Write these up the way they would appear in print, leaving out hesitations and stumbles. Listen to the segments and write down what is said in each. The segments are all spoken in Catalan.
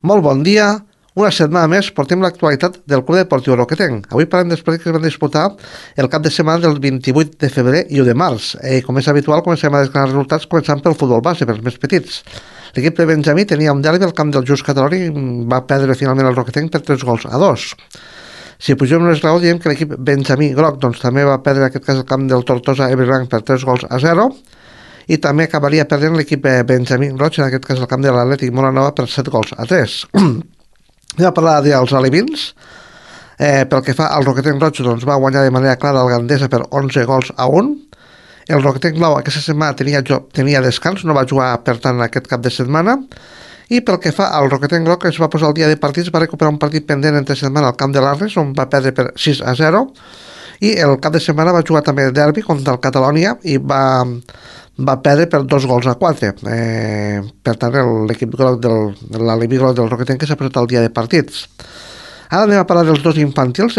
Molt bon dia. Una setmana més portem l'actualitat del Club Deportiu Roquetenc. Avui parlem dels partits que es van disputar el cap de setmana del 28 de febrer i 1 de març. Com és habitual, comencem a desgranar resultats començant pel futbol base, pels més petits. L'equip de Benjamí tenia un derbi al camp del Just Cataloni i va perdre finalment el Roquetenc per 3-2. Si pugem un esglaó, diem que l'equip Benjamí Groc també va perdre en aquest cas el camp del Tortosa Evergrande per 3-0 i també acabaria perdent l'equip Benjamí Roig, en aquest cas el camp de l'Atlètic Molanova per 7-3. Anem a parlar dels alevins. Pel que fa al Roquetenc Roig, doncs va guanyar de manera clara el Gandesa per 11-1. El Roquetenc Blau aquesta setmana tenia descans, no va jugar per tant aquest cap de setmana. I pel que fa al Roquetenc Groc, es va posar el dia de partits, va recuperar un partit pendent entre setmana al camp de l'Arres, on va perdre per 6-0. I el cap de setmana va jugar també el derbi contra el Catalònia i va perdre per 2-4. Per tant, l'equip groc l'Aleví Groc del Roquetenc que s'ha posat el dia de partits. Ara anem a parlar dels dos infantils.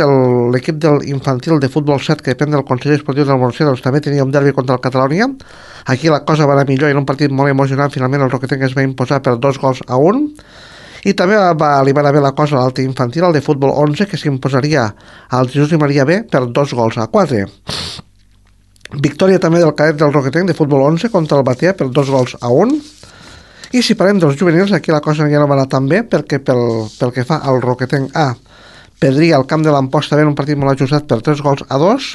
L'equip del infantil de futbol 7, que depèn del Consell Esportiu del Montseny, doncs també tenia un derbi contra el Catalònia. Aquí la cosa va anar millor i en un partit molt emocionant finalment el Roquetenc es va imposar per 2-1. I també li va anar bé la cosa a l'altre infantil, el de futbol 11, que s'imposaria al Jesús i Maria B per 2-4. Victòria també del cadet del Roquetenc de futbol 11 contra el Batea per 2-1. I si parlem dels juvenils, aquí la cosa ja no va anar tan bé, perquè pel que fa al Roquetenc A, perdria el camp de l'Amposta B en un partit molt ajustat per 3-2.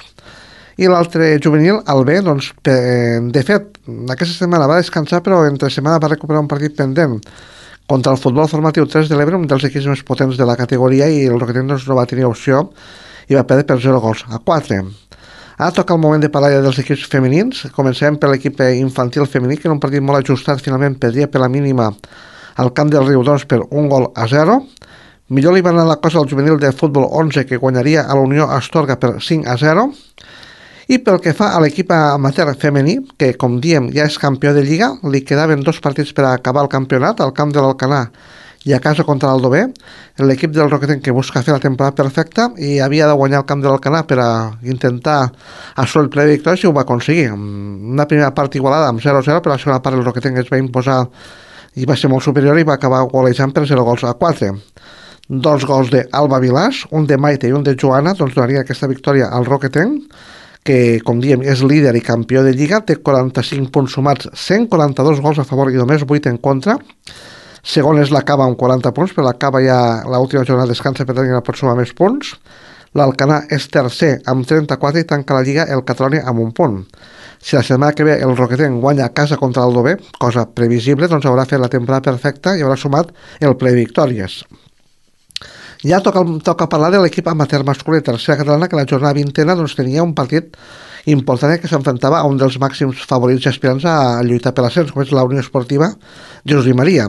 I l'altre juvenil, el B, doncs, de fet, aquesta setmana va descansar, però entre setmana va recuperar un partit pendent contra el futbol formatiu 3 de l'Ebre, un dels equips més potents de la categoria, i el Roquetenc doncs, no va tenir opció i va perdre per 0-4. Ara toca el moment de parlar dels equips femenins. Comencem per l'equip infantil femení, que en un partit molt ajustat finalment perdria per la mínima al camp del Riudoms per 1-0. Millor li va anar la cosa al juvenil de futbol 11, que guanyaria a la Unió Astorga per 5-0. I pel que fa a l'equip amateur femení, que com diem ja és campió de Lliga, li quedaven 2 partits per acabar el campionat, al camp de l'Alcanar i a casa contra l'Aldover. L'equip del Roquetenc que busca fer la temporada perfecta i havia de guanyar el camp de l'Alcanar per a intentar assolir el ple de victòries i ho va aconseguir. Una primera part igualada amb 0-0, però la segona part el Roquetenc es va imposar i va ser molt superior i va acabar golejant per 0-4. 2 gols d'Alba Vilàs, un de Maite i un de Joana, doncs donaria aquesta victòria al Roquetenc, que, com diem, és líder i campió de Lliga, té 45 punts sumats, 142 gols a favor i només 8 en contra. Segon és la Cava amb 40 punts, però la Cava ja l'última jornada descansa, per tant ja pot sumar més punts. L'Alcanar és tercer amb 34 i tanca la Lliga el Catalònia amb un punt. Si la setmana que ve el Roquetenc guanya a casa contra l'Aldover, cosa previsible, doncs haurà fet la temporada perfecta i haurà sumat el ple de victòries. Ja toca parlar de l'equip amateur masculí tercera catalana, que la jornada 20a doncs, tenia un partit important que s'enfrontava a un dels màxims favorits i aspirants a lluitar per l'ascens, com és la Unió Esportiva Jesús i Maria.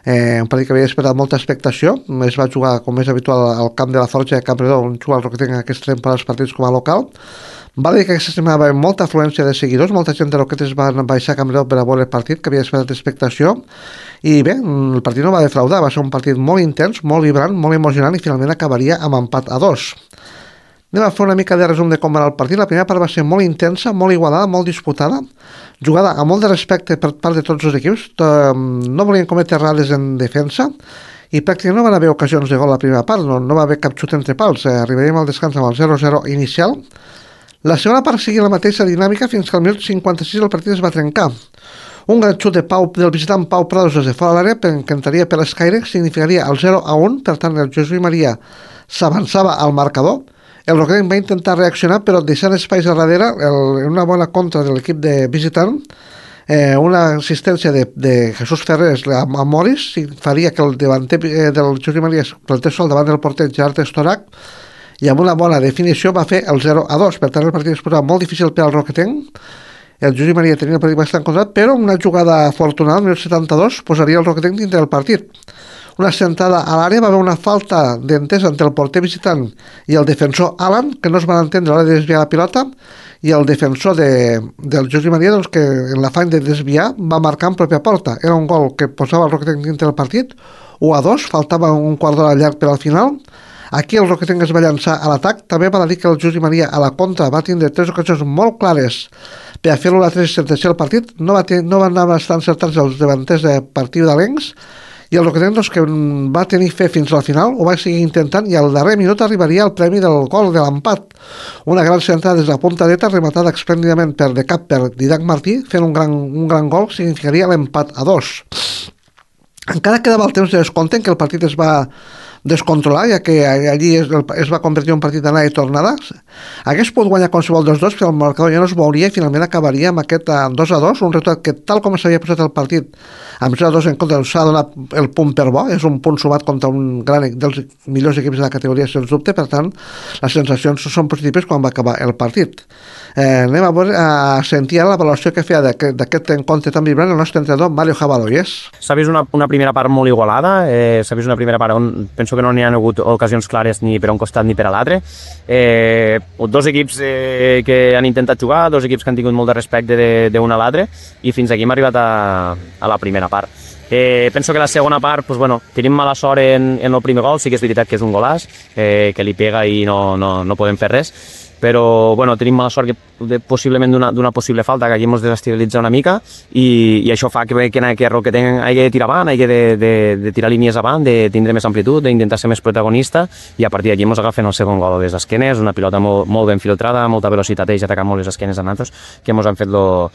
Un partit que havia esperat molta expectació, es va jugar com és habitual al camp de la Forja de Campredó, on juga el Roquetenc en aquesta temporada els partits com a local. Va dir que aquesta setmana va haver molta afluència de seguidors, molta gent de Roquetes va baixar a Campredó per a veure el partit, que havia esperat expectació, i bé, el partit no va defraudar, va ser un partit molt intens, molt vibrant, molt emocionant i finalment acabaria amb empat a 2. Anem a fer una mica de resum de com va anar el partit. La primera part va ser molt intensa, molt igualada, molt disputada, jugada amb molt de respecte per part de tots els equips, no volien cometre errades en defensa i pràcticament no van haver ocasions de gol a la primera part, no va haver cap xut entre pals. Arribaríem al descans amb el 0-0 inicial. La segona part seguia la mateixa dinàmica fins que al minut 56 el partit es va trencar. Un gran xut del visitant Pau Prados des de fora de l'àrea, que entraria per l'escaire, significaria el 0-1, per tant el Jesús i Maria s'avançava al marcador. El Roquetenc va intentar reaccionar, però deixant espais a darrere, una bona contra de l'equip de visitant, una assistència de Jesús Ferrés a Moris faria que el davanter del Jesús i Maria plantés sol davant del porter Gerard Estorac, i amb una bona definició va fer el 0-2. Per tant, el partit es posava molt difícil per al Roquetenc. El Jesús i Maria tenia el partit bastant controlat, però una jugada afortunada, al minut 72, posaria el Roquetenc dintre del partit. Una sentada a l'àrea, va haver una falta d'entesa entre el porter visitant i el defensor Alan, que no es van entendre a l'hora de desviar la pilota, i el defensor del Jesús i Maria, doncs, que en l'afany de desviar va marcar en pròpia porta. Era un gol que posava el Roquetenc dintre del partit, 1-2, faltava un quart d'hora llarg per al final. Aquí el Roquetenc es va llançar a l'atac. També va dir que el Jesús i Maria a la contra va tindre 3 ocasions molt clares per a fer-lo la 3 sentenciar el partit. No van anar bastant encertats els davanters de partit d'Alencs, i el Roquetenc, doncs, que va tenir fe fins al final, ho va seguir intentant, i al darrer minut arribaria el premi del gol de l'empat. Una gran centrada des de la punta dreta, rematada esplèndidament de cap per Didac Martí, fent un gran gol, significaria l'empat a 2. Encara quedava el temps de descompte en què el partit es va descontrolar, ja que allí es va convertir en un partit d'anada i tornada. Hagués pogut guanyar qualsevol dels dos, però el marcador ja no es veuria i finalment acabaria amb aquest 2-2, un resultat que, tal com s'havia posat el partit, amb 0-2 en contra, s'ha donat el punt per bo, és un punt sumat contra un dels millors equips de la categoria, sens dubte, per tant, les sensacions són positives quan va acabar el partit. Anem a sentir la valoració que feia d'aquest encontre tan vibrant el nostre entrenador, Mario Jabaloyes. S'ha vist una primera part molt igualada, s'ha vist una primera part on penso que no n'hi ha hagut ocasions clares ni per un costat ni per a l'altre. Dos equips que han intentat jugar, dos equips que han tingut molt de respecte d'un a l'altre, i fins aquí hem arribat a la primera part. Penso que la segona part, pues bueno, tenim mala sort en el primer gol, sí que és veritat que és un golàs, que li pega i no podem fer res, però bueno, tenim mala sort possiblement d'una possible falta, que aquí ens desestabilitza una mica, i això fa que Roquetenc hagi de tirar avant, hagi de tirar línies avant, de tindre més amplitud, d'intentar ser més protagonista, i a partir d'aquí ens agafen el segon gol a les esquenes, una pilota molt ben filtrada, molta velocitat, ells atacant molt les esquenes a nosaltres, que ens han fet el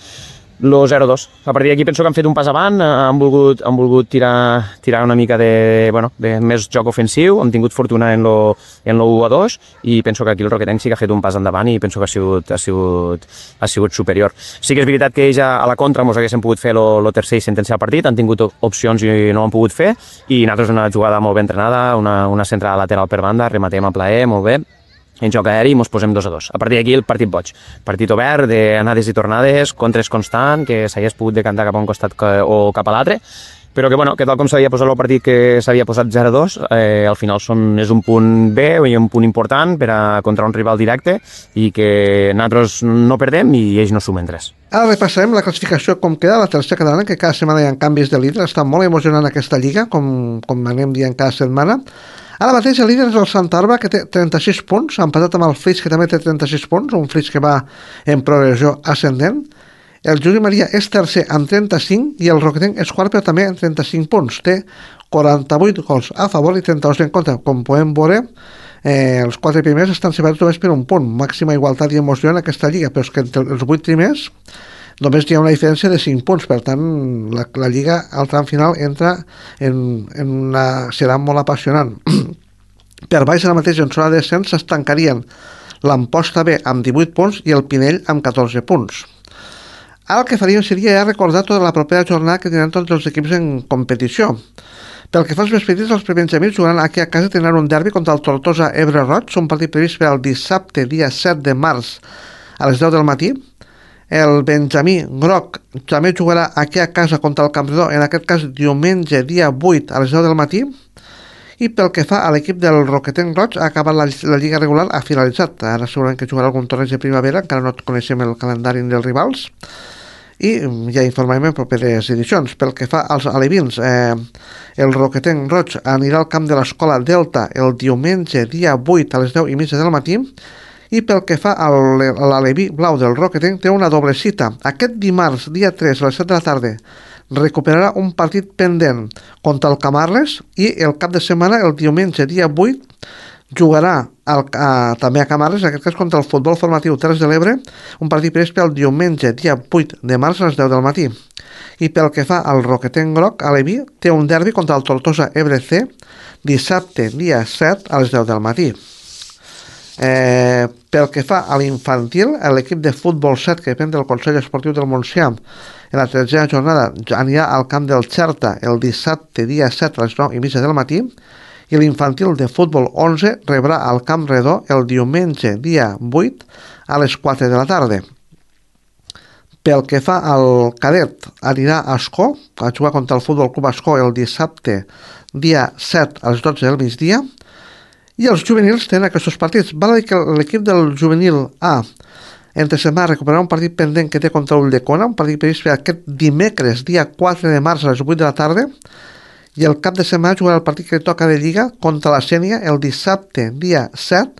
0-2. A partir d'aquí penso que han fet un pas avant, han volgut tirar una mica de més joc ofensiu, han tingut fortuna en lo 1-2, i penso que aquí el Roquetenc sí que ha fet un pas endavant i penso que ha sigut superior. Sí que és veritat que ells a la contra ens haguessin pogut fer el tercer i sentenciar el partit, han tingut opcions i no ho han pogut fer, i nosaltres una jugada molt ben entrenada, una centrada lateral per banda, rematem a plaer, molt bé, en joc aeri i ens posem 2-2. A partir d'aquí el partit boig. Partit obert, d'anades i tornades, contres constant, que s'hagués pogut decantar cap a un costat o cap a l'altre, però que tal com s'havia posat el partit, que s'havia posat 0-2, al final és un punt bé i un punt important contra un rival directe, i que nosaltres no perdem i ells no sumen res. Ara repassarem la classificació com queda la tercera catalana, que cada setmana hi ha canvis de líder. Està molt emocionant aquesta lliga, com anem dient cada setmana. Ara mateix el líder és el Santa Arba, que té 36 punts, empatat amb el Flix, que també té 36 punts, un Flix que va en progressió ascendent. El Juli Maria és tercer amb 35 i el Roquetenc és quart, però també amb 35 punts. Té 48 gols a favor i 32 en contra. Com podem veure, els 4 primers estan separats només per un punt. Màxima igualtat i emoció en aquesta lliga, però és que entre els 8 primers només hi ha una diferència de 5 punts, per tant la lliga al tram final entra serà molt apassionant. Per baix ara mateix en zona de descens s'estancarien l'Amposta B amb 18 punts i el Pinell amb 14 punts. Ara el que faríem seria recordar tota la propera jornada que tindran tots els equips en competició. Pel que fa als més petits, els prebenjamins jugaran aquí a casa, tindran un derbi contra el Tortosa Ebre Roig, un partit previst per al dissabte, dia 7 de març, a les 10 del matí. El Benjamí Groc també jugarà aquí a casa contra el Campredó, en aquest cas diumenge, dia 8, a les 10 del matí. I pel que fa a l'equip del Roquetenc Roig, ha acabat la lliga regular, ha finalitzat. Ara segurament que jugarà algun torneig de primavera, encara no coneixem el calendari dels rivals, i ja informarem en properes edicions. Pel que fa als alevins, el Roquetenc Roig anirà al camp de l'Escola Delta el diumenge, dia 8, a les 10:30 del matí, i pel que fa a l'aleví blau del Roquetenc, té una doble cita. Aquest dimarts, dia 3, a les 7 de la tarda, recuperarà un partit pendent contra el Camarles, i el cap de setmana, el diumenge, dia 8, jugarà també a Camarles, en aquest cas contra el Futbol Formatiu Terres de l'Ebre, un partit previst pel diumenge, dia 8 de març, a les 10 del matí. I pel que fa al Roquetenc Groc, aleví, té un derbi contra el Tortosa Ebre C, dissabte, dia 7, a les 10 del matí. Pel que fa a l'infantil, l'equip de futbol 7, que depèn del Consell Esportiu del Montsià, en la tercera jornada anirà al camp del Xerta el dissabte, dia 7, a les 9:30 del matí, i l'infantil de futbol 11 rebrà al Camp Redó el diumenge, dia 8, a les 4 de la tarda. Pel que fa al cadet, anirà a Ascó, a jugar contra el Futbol Club Ascó el dissabte, dia 7, a les 12 del migdia, i els juvenils tenen aquests partits. Val a dir que l'equip del juvenil A entre setmana recuperarà un partit pendent que té contra Ulldecona, un partit previst per aquest dimecres, dia 4 de març, a les 8 de la tarda, i el cap de setmana jugarà el partit que toca de Lliga contra la Sènia el dissabte, dia 7,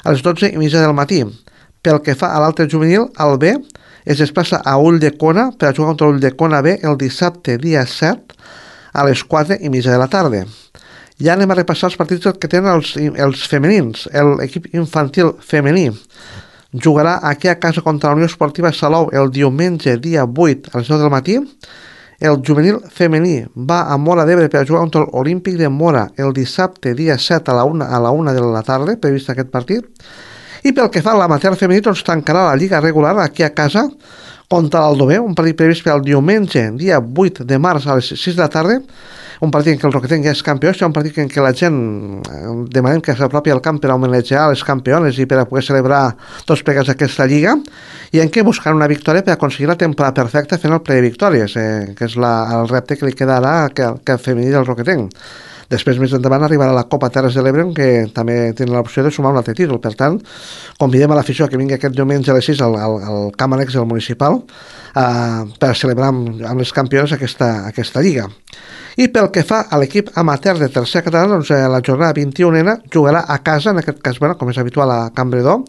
a les 12:30 del matí. Pel que fa a l'altre juvenil, el B es desplaça a Ulldecona per a jugar contra Ulldecona B el dissabte, dia 7, a les 4:30 de la tarda. Ja anem a repassar els partits que tenen els femenins. L'equip infantil femení jugarà aquí a casa contra la Unió Esportiva Salou el diumenge, dia 8, a les 9 del matí. El juvenil femení va a Móra d'Ebre per jugar contra l'Olímpic de Móra el dissabte, dia 7, a la 1 de la tarda, previst aquest partit. I pel que fa a l'amateur femení, doncs tancarà la lliga regular aquí a casa contra l'Aldover, un partit previst per al diumenge, dia 8 de març a les 6 de la tarda, un partit en què el Roquetenc ja és campió, és un partit en què la gent demanem que s'apropi al camp per homenatjar les campiones i per a poder celebrar tots plegats aquesta lliga, i en què buscar una victòria per aconseguir la temporada perfecta fent el ple de victòries, que és el repte que li quedarà al femení del Roquetenc. Després, més endavant, arribarà la Copa Terres de l'Ebre, que també tenen l'opció de sumar un altre títol. Per tant, convidem a l'afició que vingui aquest diumenge a les 6 al camp annex del municipal per celebrar amb les campiones aquesta lliga. I pel que fa a l'equip amateur de tercera catalana, doncs la jornada 21ena jugarà a casa, en aquest cas, com és habitual a Can Bredó,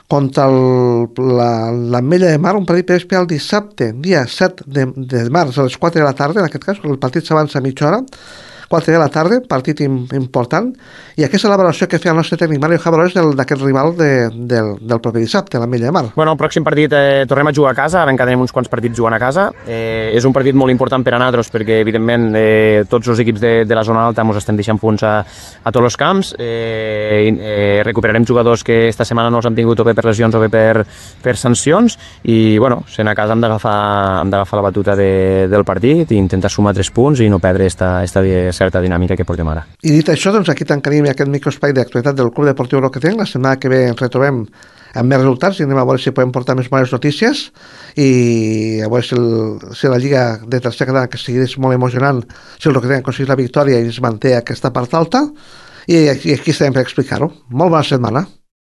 contra l'Ametlla de Mar, un partit previst per al dissabte, dia 7 de març, a les 4 de la tarda, en aquest cas, el partit s'avança a mitja hora, 4 de la tarda, partit important, i aquesta és la valoració que feia el nostre tècnic Mario Jabalores d'aquest rival del proper dissabte, l'Ametlla de Mar. Bueno, el pròxim partit tornem a jugar a casa, ara encara tenim uns quants partits jugant a casa. És un partit molt important per a nosaltres perquè, evidentment, tots els equips de la zona alta ens estem deixant punts a tots els camps. Recuperarem jugadors que esta setmana no els han tingut o bé per lesions o bé per sancions, i bueno, sent a casa hem d'agafar la batuta del partit i intentar sumar 3 punts i no perdre esta certa dinàmica que portem ara. I dit això, doncs aquí tancaríem aquest microespai d'actualitat del Club Deportiu Roquetenc. La setmana que ve ens retrobem amb més resultats i anem a veure si podem portar més bones notícies i a veure si la Lliga de tercera catalana, que sigui molt emocionant, si el Roquetenc aconsegueix la victòria i es manté aquesta part alta, i aquí estarem per explicar-ho. Molt bona setmana.